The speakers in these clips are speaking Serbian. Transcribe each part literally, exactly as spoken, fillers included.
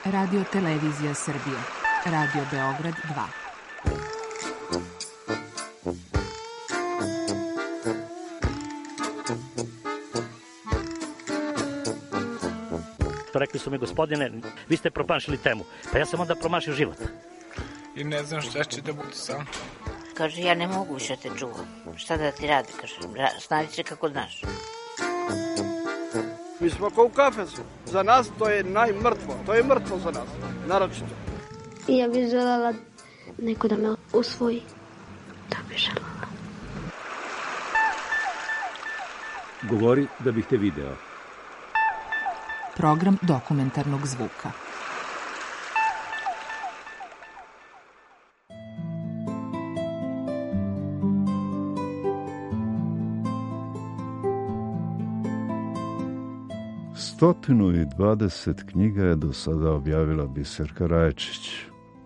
Radio Televizija Srbije. Radio Beograd dva. Rekli su mi, gospodine, vi ste promašili temu. Pa ja sam onda promašio život. I ne znam šta će da bude sam. Kaže, ja ne mogu više te čuvam. Šta da ti radi, kaže, snađi se kako znaš. Mi smo kao u kafesu. Za nas to je najmrtvo. To je mrtvo za nas, naročito. Ja bih željela neko da me usvoji. Da bih željela. Govori da bih te video. Program dokumentarnog zvuka. Stotinu i dvadeset knjiga je do sada objavila Biserka Rajčić,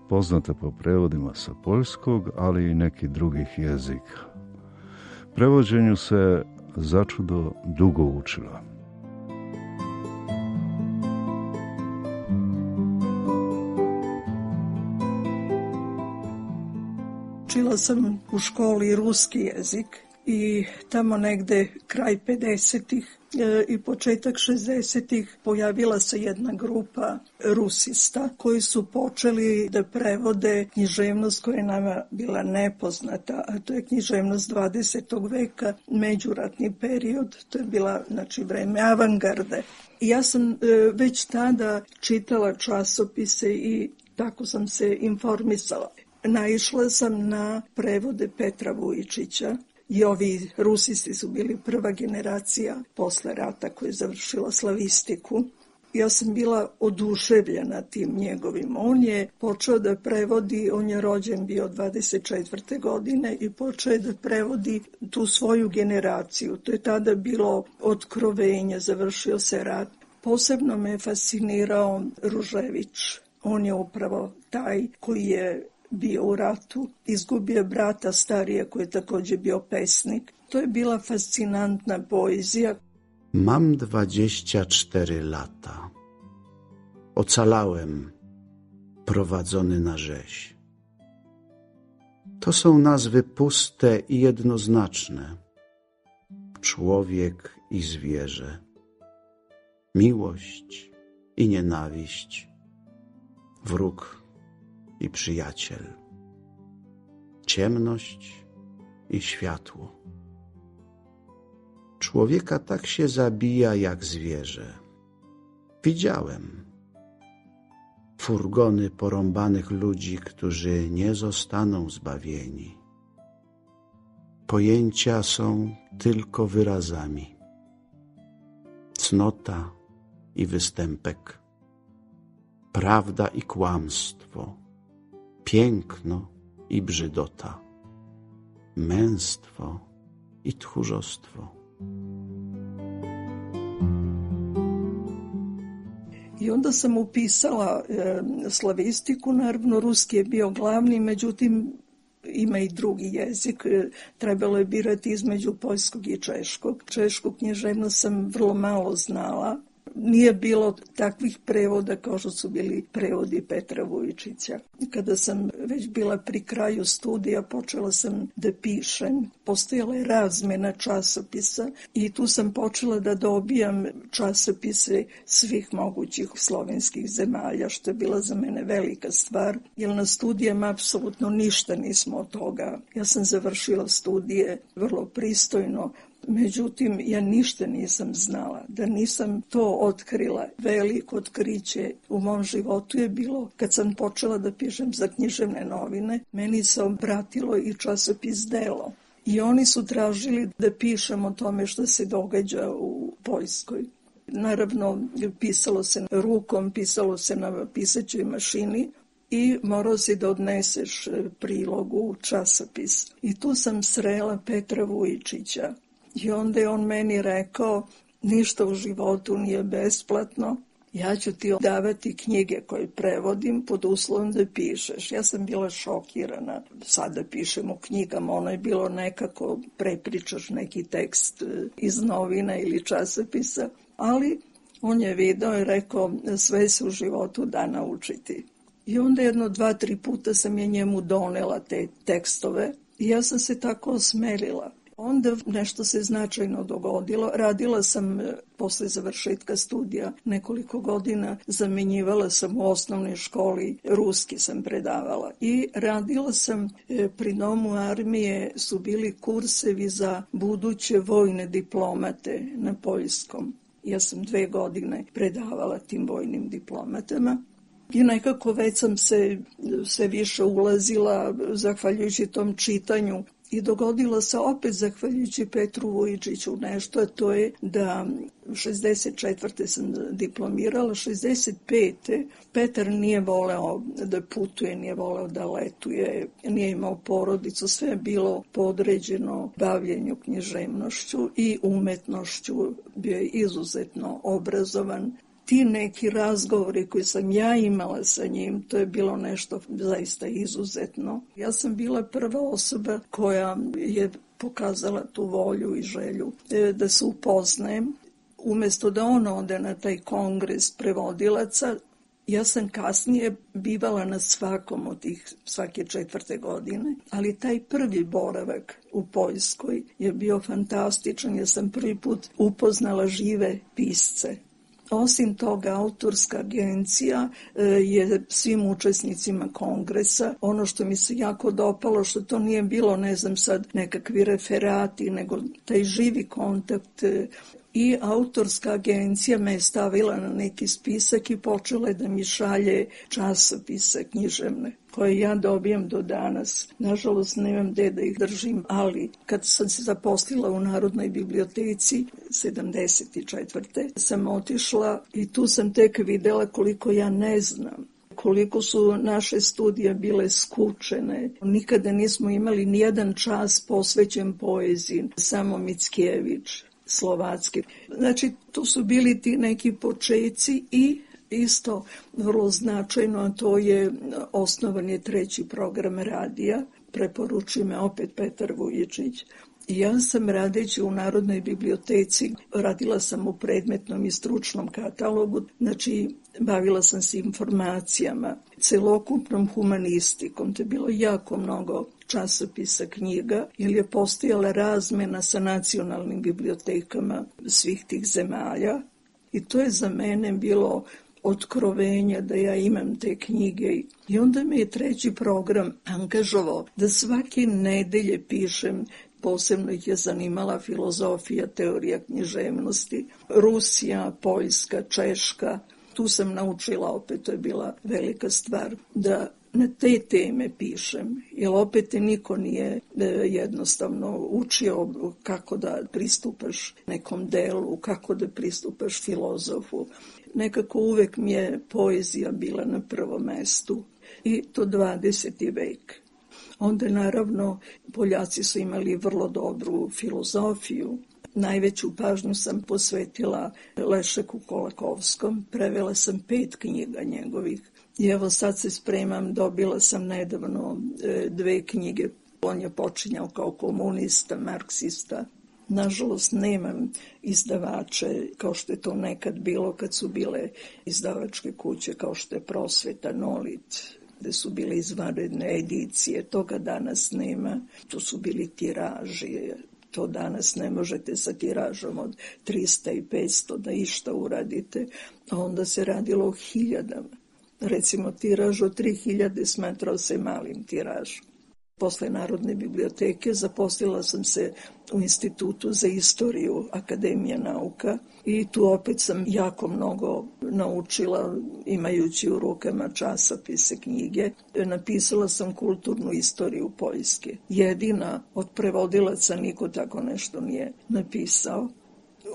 poznata po prevodima sa poljskog, ali i nekih drugih jezika. Prevođenju se začudo dugo učila. Učila sam u školi ruski jezik i tamo negde kraj pedesetih i početak šezdesetih pojavila se jedna grupa rusista koji su počeli da prevode književnost koja je nama bila nepoznata, a to je književnost dvadesetog veka, međuratni period, to je bila, znači, vreme avangarde. I ja sam već tada čitala časopise i tako sam se informisala. Naišla sam na prevode Petra Vujičića i ovi rusisti su bili prva generacija posle rata koja je završila slavistiku. Ja sam bila oduševljena tim njegovim. On je počeo da prevodi, on je rođen bio dvadeset četvrte godine i počeo da prevodi tu svoju generaciju. To je tada bilo otkrovenje, završio se rat. Posebno me fascinirao Ružević. On je upravo taj koji je bio u ratu, izgubio brata starije koji je također bio pesnik. To je bila fascinantna poezja. Mam dwadzieścia cztery lata. Ocalałem, prowadzony na rzeź. To są nazwy puste i jednoznaczne. Człowiek i zwierzę. Miłość i nienawiść. Wróg i przyjaciel, ciemność i światło. Człowieka tak się zabija jak zwierzę. Widziałem furgony porąbanych ludzi, którzy nie zostaną zbawieni. Pojęcia są tylko wyrazami. Cnota i występek, prawda i kłamstwo, piękno i brzydota, męstwo i tchórzostwo. I onda sam upisala e, slavistiku, naravno ruski je bio glavni, međutim ima i drugi jezik, e, trebalo je birati između poljskog i češkog. Češku književnost sam vrlo malo znala. Nije bilo takvih prevoda kao što su bili prevodi Petra Vujičića. Kada sam već bila pri kraju studija, počela sam da pišem. Postojala je razmena časopisa i tu sam počela da dobijam časopise svih mogućih slovenskih zemalja, što je bila za mene velika stvar, jer na studijama apsolutno ništa nismo od toga. Ja sam završila studije vrlo pristojno, međutim, ja ništa nisam znala. Da nisam to otkrila, veliko otkriće u mom životu je bilo kad sam počela da pišem za književne novine. Meni se obratilo i časopis Delo. I oni su tražili da pišem o tome što se događa u Poljskoj. Naravno, pisalo se rukom, pisalo se na pisaćoj mašini i morao si da odneseš prilog u časopis. I tu sam srela Petra Vujičića. I onda je on meni rekao, ništa u životu nije besplatno, ja ću ti davati knjige koje prevodim pod uslovom da pišeš. Ja sam bila šokirana. Sada pišem u knjigama, ono je bilo nekako prepričaš neki tekst iz novina ili časopisa, ali On je video i rekao, sve se u životu da naučiti. I onda jedno dva, tri puta sam je njemu donela te tekstove i ja sam se tako osmelila. Onda nešto se značajno dogodilo. Radila sam posle završetka studija nekoliko godina, zamenjivala sam u osnovnoj školi, ruski sam predavala. I radila sam pri Domu armije, su bili kursevi za buduće vojne diplomate na poljskom. Ja sam dve godine predavala tim vojnim diplomatama. I nekako već sam se sve više ulazila zahvaljujući tom čitanju. I dogodilo se opet zahvaljujući Petru Vujičiću nešto, a to je da šezdeset četvrte sam diplomirala, šezdeset pete Petar nije voleo da putuje, nije voleo da letuje, nije imao porodicu, sve je bilo podređeno bavljenju književnošću i umetnošću, bio je izuzetno obrazovan. Ti neki razgovori koji sam ja imala sa njim, to je bilo nešto zaista izuzetno. Ja sam bila prva osoba koja je pokazala tu volju i želju da se upoznajem. Umjesto da on ode na taj kongres prevodilaca, ja sam kasnije bivala na svakom od tih svake četvrte godine, ali taj prvi boravak u Poljskoj je bio fantastičan. Ja sam prvi put upoznala žive pisce. Osim toga, autorska agencija je svim učesnicima kongresa. Ono što mi se jako dopalo, što to nije bilo, ne znam sad, nekakvi referati, nego taj živi kontakt. I autorska agencija me je stavila na neki spisak i počela je da mi šalje časopise književne, koje ja dobijam do danas. Nažalost, nemam gde da ih držim, ali kad sam se zaposlila u Narodnoj biblioteci sedamdeset četvrte sam otišla i tu sam tek videla koliko ja ne znam, koliko su naše studije bile skučene. Nikada nismo imali nijedan čas posvećen poeziji, samo Mickiewicz, Slovacki. Znači, tu su bili ti neki počeci i isto vrlo značajno, a to je osnovan je treći program radija, preporučuje me opet Petar Vujičić. Ja sam radeći u Narodnoj biblioteci, radila sam u predmetnom i stručnom katalogu, znači bavila sam se informacijama, celokupnom humanistikom, to je bilo jako mnogo časopisa, knjiga, jer je postojala razmena sa nacionalnim bibliotekama svih tih zemalja i to je za mene bilo otkrovenje da ja imam te knjige. I onda me je treći program angažovao da svake nedelje pišem. Posebno ih je zanimala filozofija, teorija književnosti, Rusija, Poljska, Češka. Tu sam naučila, opet to je bila velika stvar, da na te teme pišem, jer opet te niko nije jednostavno učio kako da pristupaš nekom delu, kako da pristupaš filozofu. Nekako uvek mi je poezija bila na prvom mestu i to dvadeseti vek. Onda naravno Poljaci su imali vrlo dobru filozofiju. Najveću pažnju sam posvetila Lešeku Kolakovskom, prevela sam pet knjiga njegovih. I evo sad se spremam, dobila sam nedavno dve knjige. On je počinjao kao komunista, marksista. Nažalost, nemam izdavače kao što je to nekad bilo kad su bile izdavačke kuće kao što je Prosveta, Nolit, gde su bile izvanredne edicije. Toga danas nema. To su bili tiraži. To danas ne možete sa tiražom od trista i petsto da išta uradite, a onda se radilo o hiljadama. Recimo, tiraž od tri hiljade smatrao se malim tiražom. Posle Narodne biblioteke zaposlila sam se u Institutu za istoriju Akademije nauka i tu opet sam jako mnogo naučila imajući u rukama časopise, knjige. Napisala sam kulturnu istoriju Poljske. Jedina od prevodilaca niko tako nešto nije napisao.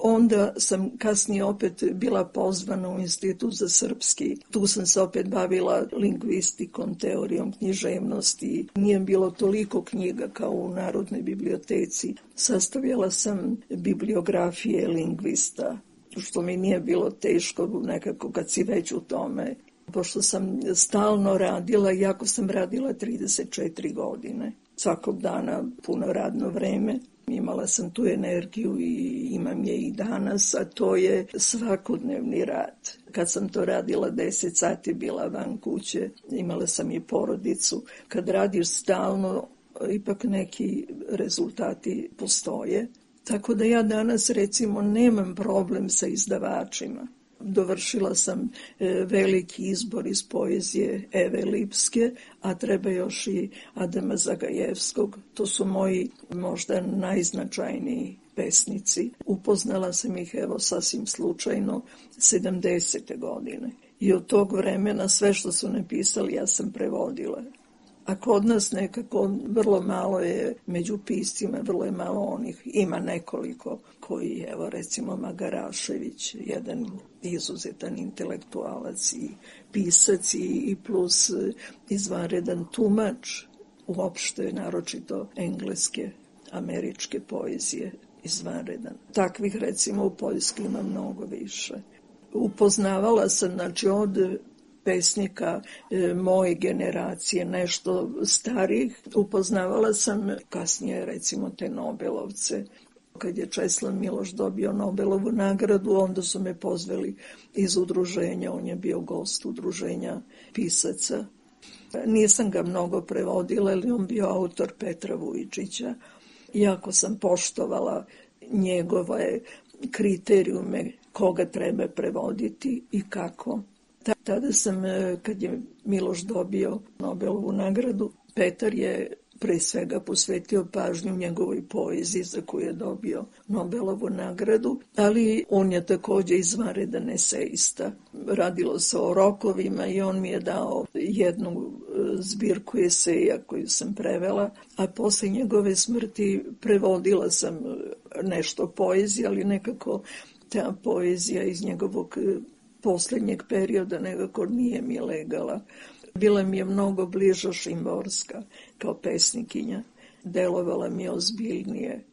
Onda sam kasnije opet bila pozvana u Institut za srpski. Tu sam se opet bavila lingvistikom, teorijom književnosti. Nije bilo toliko knjiga kao u Narodnoj biblioteci. Sastavljala sam bibliografije lingvista, što mi nije bilo teško nekako kad si već u tome. Pošto sam stalno radila, iako sam radila trideset četiri godine. Svakog dana puno radno vreme. Imala sam tu energiju i imam je i danas, a to je svakodnevni rad. Kad sam to radila deset sati, bila van kuće, imala sam i porodicu. Kad radiš stalno, ipak neki rezultati postoje. Tako da ja danas, recimo, nemam problem sa izdavačima. Dovršila sam e, veliki izbor iz poezije Eve Lipske, a treba još i Adama Zagajevskog. To su moji možda najznačajniji pesnici. Upoznala sam ih, evo, sasvim slučajno, sedamdesete godine. I od tog vremena sve što su napisali ja sam prevodila. A kod nas nekako vrlo malo je među piscima, vrlo je malo onih, ima nekoliko koji, evo recimo Magarašević, jedan izuzetan intelektualac i pisac i plus izvanredan tumač, uopšte naročito engleske, američke poezije, izvanredan. Takvih recimo u Poljskoj ima mnogo više. Upoznavala sam, znači, od pesnika e, moje generacije, nešto starih. Upoznavala sam kasnije recimo te Nobelovce. Kad je Česlav Miloš dobio Nobelovu nagradu, onda su me pozvali iz udruženja, on je bio gost udruženja pisaca. Nisam ga mnogo prevodila, ali on bio autor Petra Vujčića. Jako sam poštovala njegove kriterijume koga treba prevoditi i kako. Tada sam, kad je Miloš dobio Nobelovu nagradu, Petar je pre svega posvetio pažnju njegovoj poeziji za koju je dobio Nobelovu nagradu, ali on je također izvanredan esejista. Radilo se o rokovima i on mi je dao jednu zbirku eseja koju sam prevela, a posle njegove smrti prevodila sam nešto poezije, ali nekako ta poezija iz njegovog posljednjeg perioda nekako nije mi legala. Bila mi je mnogo bliža Šimborska kao pesnikinja. Delovala mi je ozbiljnije.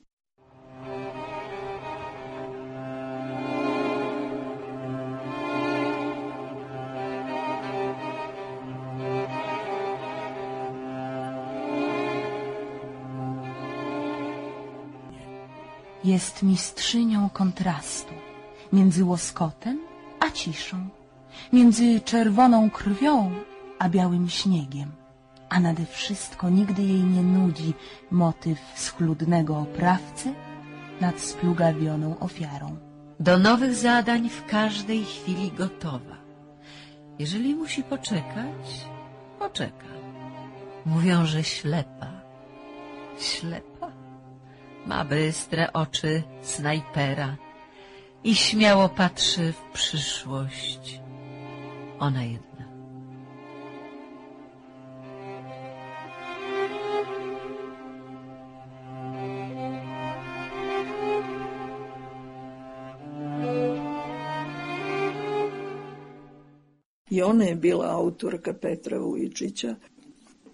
Jest mistrzynią kontrastu między łoskotem a ciszą, między czerwoną krwią a białym śniegiem, a nade wszystko nigdy jej nie nudzi motyw schludnego oprawcy nad splugawioną ofiarą. Do nowych zadań w każdej chwili gotowa. Jeżeli musi poczekać, poczeka. Mówią, że ślepa. Ślepa? Ma bystre oczy snajpera i śmiało patrzy w przyszłość. Ona jedna. I ona je bila autorka Petra Vujčića.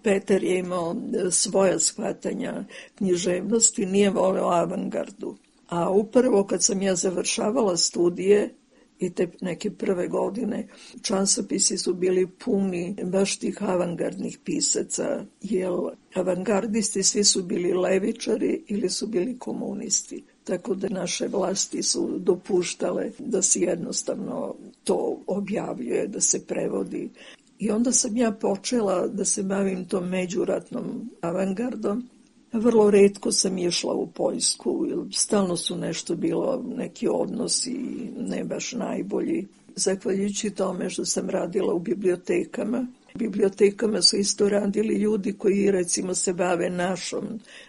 Petar je imao svoja shvatanja književnosti, nije voleo avangardu. A upravo kad sam ja završavala studije i te neke prve godine, časopisi su bili puni baš tih avangardnih pisaca, jer avangardisti svi su bili levičari ili su bili komunisti. Tako da naše vlasti su dopuštale da se jednostavno to objavljuje, da se prevodi. I onda sam ja počela da se bavim tom međuratnom avangardom. Vrlo retko sam išla u Poljsku, stalno su nešto bilo, neki odnosi ne baš najbolji. Zahvaljujući tome što sam radila u bibliotekama, bibliotekama su isto radili ljudi koji recimo se bave našom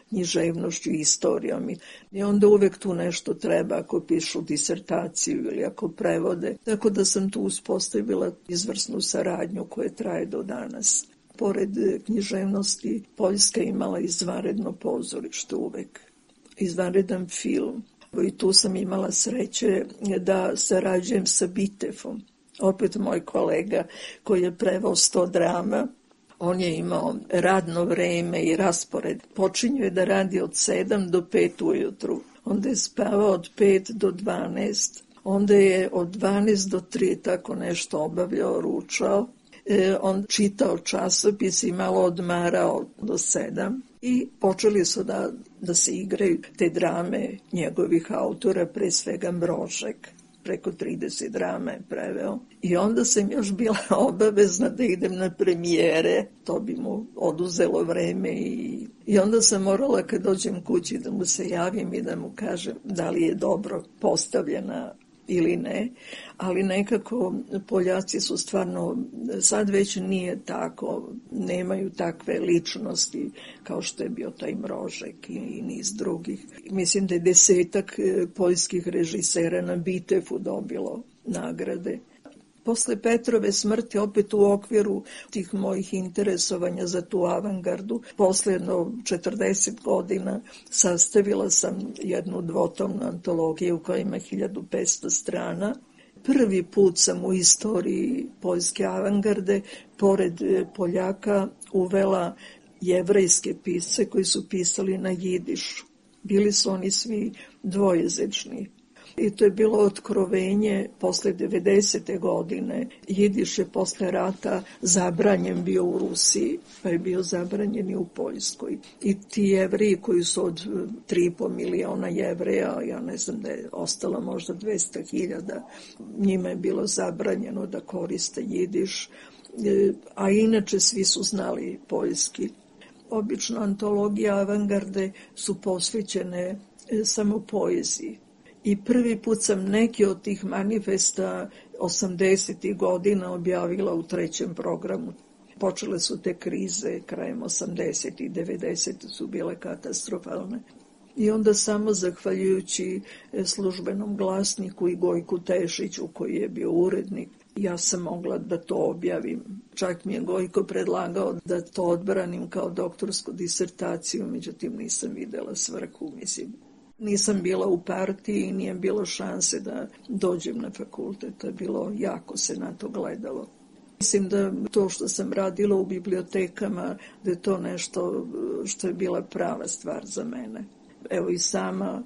književnošću i istorijom. I onda uvek tu nešto treba ako pišu disertaciju ili ako prevode. Tako da sam tu uspostavila izvrsnu saradnju koja traje do danas. Pored književnosti, Poljska imala izvanredno pozorište uvek, izvanredan film. I tu sam imala sreće da sarađujem sa Bitefom. Opet moj kolega koji je preveo sto drama, on je imao radno vreme i raspored. Počinio je da radi od sedam do pet ujutru, onda je spavao od pet do dvanaest, onda je od dvanaest do tri tako nešto obavljao, ručao. E, on čitao časopis i malo odmarao do sedam. I počeli su da, da se igraju te drame njegovih autora, pre svega Mrožek. Preko trideset drama je preveo. I onda sam još bila obavezna da idem na premijere, to bi mu oduzelo vreme i, i onda sam morala kad dođem kući da mu se javim i da mu kažem da li je dobro postavljena ili ne, ali nekako Poljaci su stvarno, sad već nije tako, nemaju takve ličnosti kao što je bio taj Mrožek i, i niz drugih. Mislim da je desetak poljskih režisera na Bitefu dobilo nagrade. Posle Petrove smrti, opet u okviru tih mojih interesovanja za tu avangardu, posle jedno četrdeset godina sastavila sam jednu dvotomnu antologiju koja ima hiljadu petsto strana. Prvi put sam u istoriji poljske avangarde, pored Poljaka, uvela jevrejske pisce koji su pisali na jidišu. Bili su oni svi dvojezični. I to je bilo otkrovenje posle devedesete godine. Jidiš je posle rata zabranjen bio u Rusiji, pa je bio zabranjen i u Poljskoj. I ti Jevriji koji su od tri i po miliona Jevreja, ja ne znam da je ostalo možda dvesta hiljada, njima je bilo zabranjeno da koriste jidiš, a inače svi su znali poljski. Obično antologije avangarde su posvećene samo poeziji. I prvi put sam neki od tih manifesta osamdesetih godina objavila u trećem programu. Počele su te krize krajem osamdesetih, devedesetih su bile katastrofalne. I onda samo zahvaljujući Službenom glasniku i Gojku Tešiću koji je bio urednik, ja sam mogla da to objavim. Čak mi je Gojko predlagao da to odbranim kao doktorsku disertaciju, međutim nisam videla svrhu, mislim. Nisam bila u partiji i nije bilo šanse da dođem na fakultet. To je bilo, jako se na to gledalo. Mislim da to što sam radila u bibliotekama, da je to nešto što je bila prava stvar za mene. Evo i sama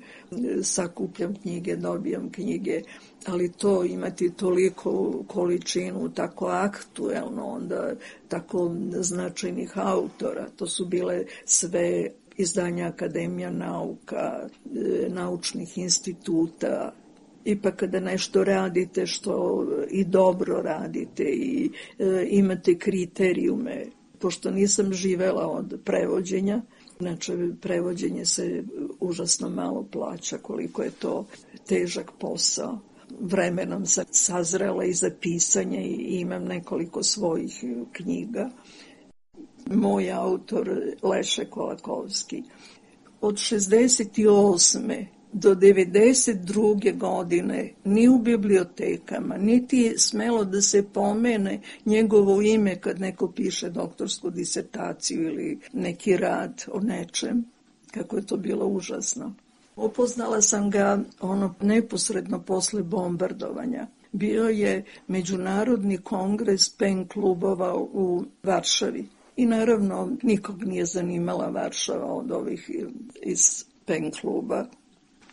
sakupljam knjige, dobijam knjige, ali to imati toliko količinu, tako aktuelno, onda tako značajnih autora, to su bile sve izdanja Akademija nauka, naučnih instituta. Ipak kada nešto radite što i dobro radite i e, imate kriterijume, pošto nisam živela od prevođenja, inače prevođenje se užasno malo plaća, koliko je to težak posao. Vremenom sam sazrela i za pisanje i imam nekoliko svojih knjiga. Moj autor Leše Kolakovski. Od šezdeset osme do devedeset druge godine ni u bibliotekama, niti je smelo da se pomene njegovo ime kad neko piše doktorsku disertaciju ili neki rad o nečem, kako je to bilo užasno. Upoznala sam ga ono neposredno posle bombardovanja. Bio je Međunarodni kongres pen klubova u Varšavi. I naravno nikog nije zanimala Varšava od ovih iz pen kluba.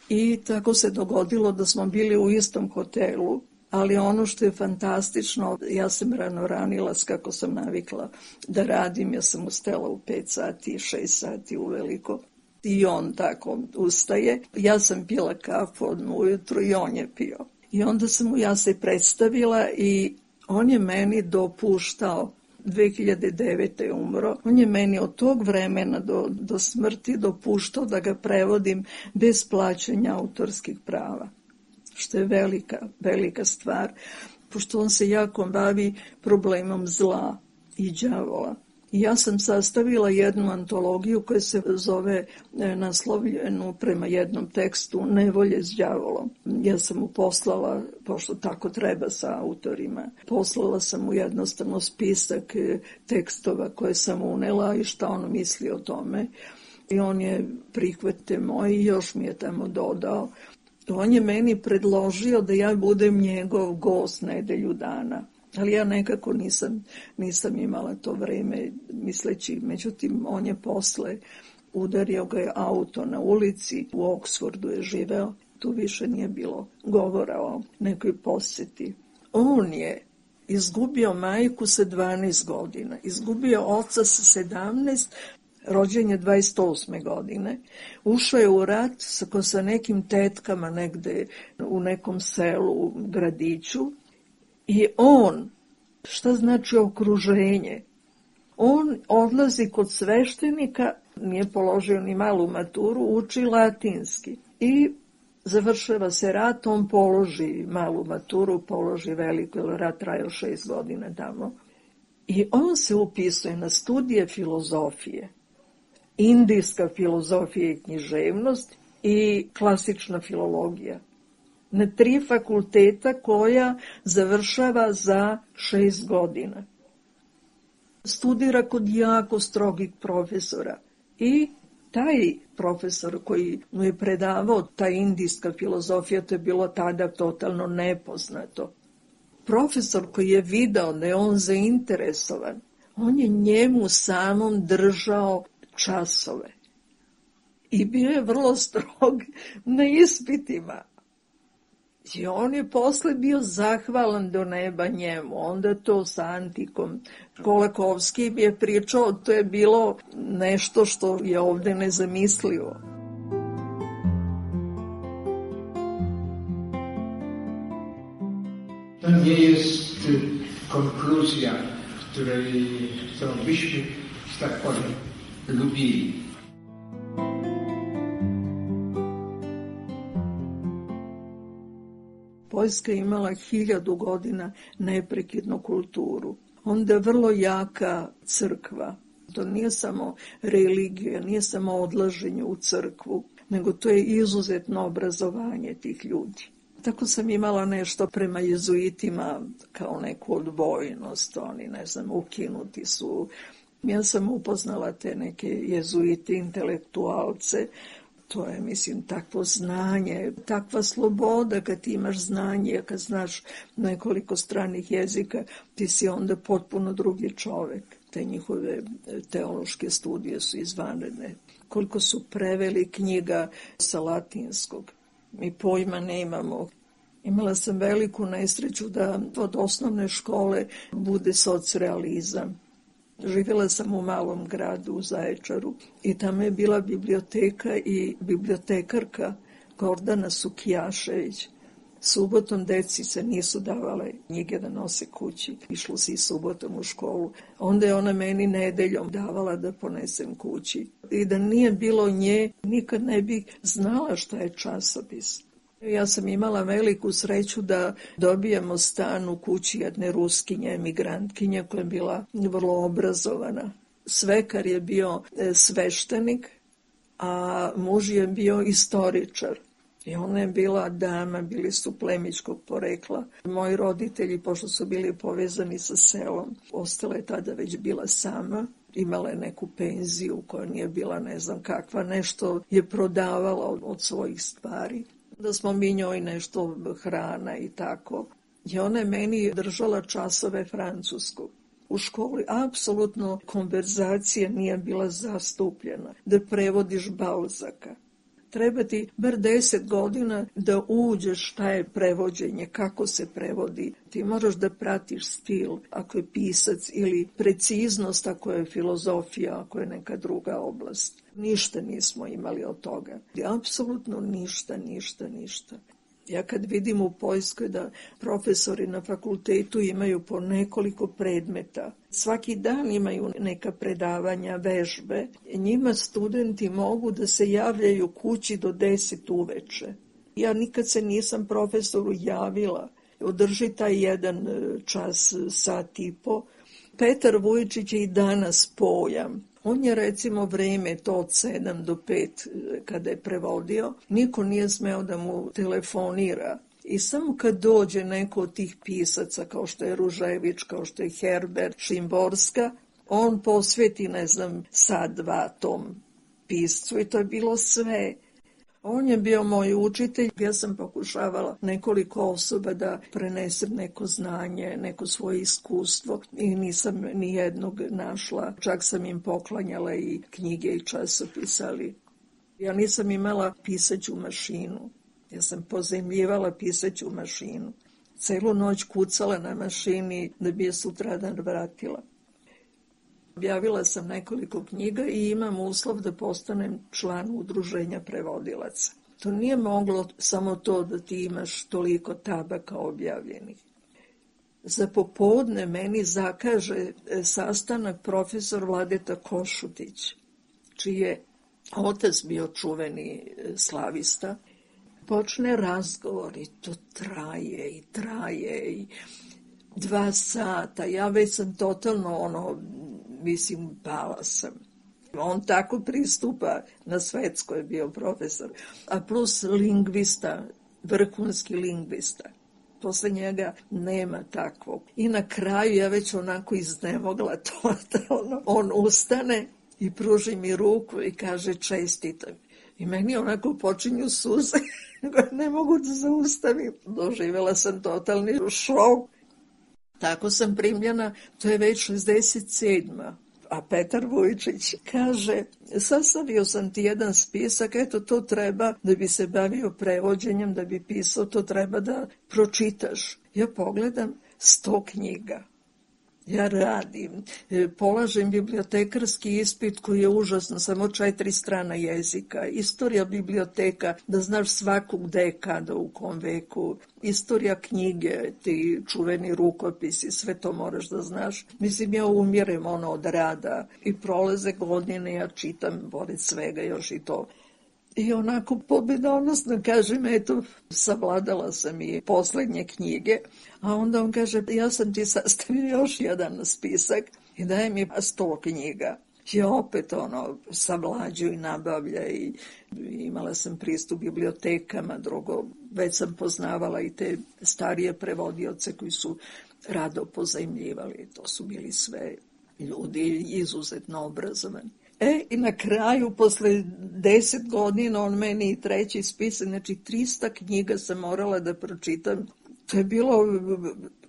I tako se dogodilo da smo bili u istom hotelu, ali ono što je fantastično, ja sam rano ranila kako sam navikla da radim, ja sam ustala u pet sati, šest sati uveliko. I on tako ustaje. Ja sam pila kafu odmah ujutru i on je pio. I onda sam mu ja se predstavila i on je meni dopuštao, dve hiljade devete je umro, on je meni od tog vremena do, do smrti dopuštao da ga prevodim bez plaćanja autorskih prava, što je velika, velika stvar, pošto on se jako bavi problemom zla i đavola. I ja sam sastavila jednu antologiju koja se zove naslovljenu prema jednom tekstu Nevolje s đavolom. Ja sam mu poslala, pošto tako treba sa autorima, poslala sam mu jednostavno spisak tekstova koje sam unela i šta on misli o tome. I on je prihvate moj i još mi je tamo dodao. On je meni predložio da ja budem njegov gost nedelju dana. Ali ja nekako nisam, nisam imala to vreme misleći, međutim on je posle, udario ga je auto na ulici, u Oksfordu je živeo, tu više nije bilo govora o nekoj posjeti. On je izgubio majku sa dvanaest godina, izgubio oca sa sedamnaest, Rođen je dvadeset osme godine. Ušao je u rat sa, sa nekim tetkama negde u nekom selu, gradiću. I on, šta znači okruženje? On odlazi kod sveštenika, nije položio ni malu maturu, uči latinski. I završava se rat, on položi malu maturu, položi veliku, jer rat trajao šest godina tamo. I on se upisuje na studije filozofije, indijska filozofija i književnost i klasična filologija. Na tri fakulteta koja završava za šest godina. Studira kod jako strogih profesora i taj profesor koji mu je predavao ta indijska filozofija, to je bilo tada totalno nepoznato. Profesor koji je video da je on zainteresovan, on je njemu samom držao časove. I bio je vrlo strog na ispitima. I on je posle bio zahvalan do neba njemu, onda to sa Antikom. Kolakovski je pričao, to je bilo nešto što je ovde nezamislivo. To nie jest konkluzja, której, którą byśmy, że tak powiem, lubili. Poljska je imala hiljadu godina neprekidnu kulturu. Onda je vrlo jaka crkva. To nije samo religija, nije samo odlaženje u crkvu, nego to je izuzetno obrazovanje tih ljudi. Tako sam imala nešto prema jezuitima kao neku odbojnost, oni, ne znam, ukinuti su. Ja sam upoznala te neke jezuite, intelektualce. To je, mislim, takvo znanje, takva sloboda kad ti imaš znanje, kad znaš nekoliko stranih jezika, ti si onda potpuno drugi čovek. Te njihove teološke studije su izvanredne. Koliko su preveli knjiga sa latinskog. Mi pojma nemamo. Imala sam veliku nesreću da od osnovne škole bude socrealizam. Živjela sam u malom gradu u Zaječaru i tamo je bila biblioteka i bibliotekarka Gordana Sukijašević. Subotom deci se nisu davale knjige da nose kući. Išlo se i subotom u školu. Onda je ona meni nedeljom davala da ponesem kući. I da nije bilo nje, nikad ne bih znala šta je časopis. Ja sam imala veliku sreću da dobijemo stan u kući jedne Ruskinje, emigrantkinje koja je bila vrlo obrazovana. Svekar je bio sveštenik, a muž je bio istoričar. I ona je bila dama, bili su plemićkog porekla. Moji roditelji, pošto su bili povezani sa selom, ostala je tada već bila sama. Imala je neku penziju koja nije bila ne znam kakva, nešto je prodavala od, od svojih stvari. Da smo mi njoj nešto hrana i tako. I ona je meni držala časove francuskog. U školi apsolutno konverzacija nije bila zastupljena. Da prevodiš Balzaka. Treba ti bar deset godina da uđeš šta je prevođenje, kako se prevodi. Ti moraš da pratiš stil, ako je pisac, ili preciznost, ako je filozofija, ako je neka druga oblast. Ništa nismo imali od toga. Apsolutno ništa, ništa, ništa. Ja kad vidim u Poljskoj da profesori na fakultetu imaju po nekoliko predmeta, svaki dan imaju neka predavanja, vežbe, njima studenti mogu da se javljaju kući do deset uveče. Ja nikad se nisam profesoru javila. Održi taj jedan čas, sat i po. Petar Vujčić je i danas pojam. On je recimo vreme to od sedam do pet kada je prevodio, niko nije smeo da mu telefonira. I samo kad dođe neko od tih pisaca, kao što je Ružević, kao što je Herbert, Šimborska, on posveti, ne znam, sad dva tom piscu i to je bilo sve. On je bio moj učitelj, ja sam pokušavala nekoliko osoba da prenesem neko znanje, neko svoje iskustvo i nisam ni jednog našla. Čak sam im poklanjala i knjige i časopise, ali ja nisam imala pisaću mašinu. Ja sam pozemljivala pisaću mašinu. Celu noć kucala na mašini da bi je sutradan vratila. Objavila sam nekoliko knjiga i imam uslov da postanem član udruženja prevodilaca. To nije moglo samo to da ti imaš toliko tabaka objavljenih. Za popodne meni zakaže sastanak profesor Vladeta Košutić, čiji je otac bio čuveni slavista. Počne razgovor i to traje i traje i dva sata. Ja već sam totalno ono, mislim, pala sam. On tako pristupa, na Svetskoj je bio profesor, a plus lingvista, vrhunski lingvista. Posle njega nema takvog. I na kraju ja već onako iznemogla totalno. On ustane i pruži mi ruku i kaže čestitam. I meni onako počinju suze, ne mogu da zaustavim. Doživjela sam totalni šok. Tako sam primljena, to je već šezdeset sedma. A Petar Vujčić kaže, sastavio sam ti jedan spisak, eto to treba da bi se bavio prevođenjem, da bi pisao, to treba da pročitaš. Ja pogledam sto knjiga. Ja radim, polažem bibliotekarski ispit koji je užasno, samo četiri strana jezika, istorija biblioteka, da znaš svakog gde je kada u kom veku, istorija knjige, ti čuveni rukopisi, sve to moraš da znaš. Mislim, ja umirem ono od rada i prolaze godine, ja čitam pored svega još i to. I onako pobedonosno kažem, eto, savladala sam i poslednje knjige, a onda on kaže, ja sam ti sastavio još jedan spisak i daje mi sto knjiga. I opet ono, savlađu i nabavlja i imala sam pristup bibliotekama, drugo, već sam poznavala i te starije prevodioce koji su rado pozajmljivali, to su bili sve ljudi izuzetno obrazovani. E, i na kraju, posle deset godina, on meni i treći spisak, znači trista knjiga sam morala da pročitam. To je bilo,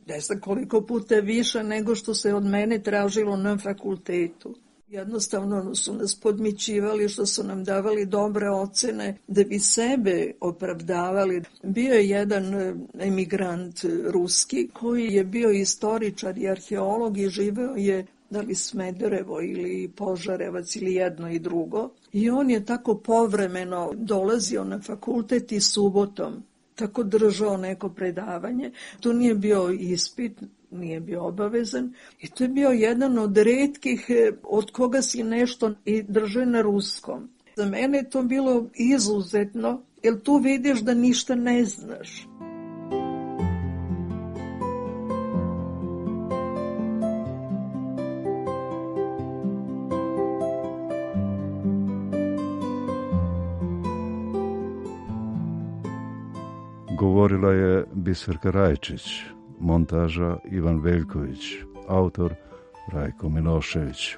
ne znam koliko puta više nego što se od mene tražilo na fakultetu. Jednostavno su nas podmićivali što su nam davali dobre ocene da bi sebe opravdavali. Bio je jedan emigrant ruski koji je bio istoričar i arheolog i živeo je da li Smederevo ili Požarevac ili jedno i drugo. I on je tako povremeno dolazio na fakultet i subotom, tako držao neko predavanje. To nije bio ispit, nije bio obavezan. I to je bio jedan od retkih od koga si nešto i drže na ruskom. Za mene je to bilo izuzetno, jer tu vidiš da ništa ne znaš. Govorila je Biserka Rajčić, montaža Ivan Veljković, autor Rajko Milošević.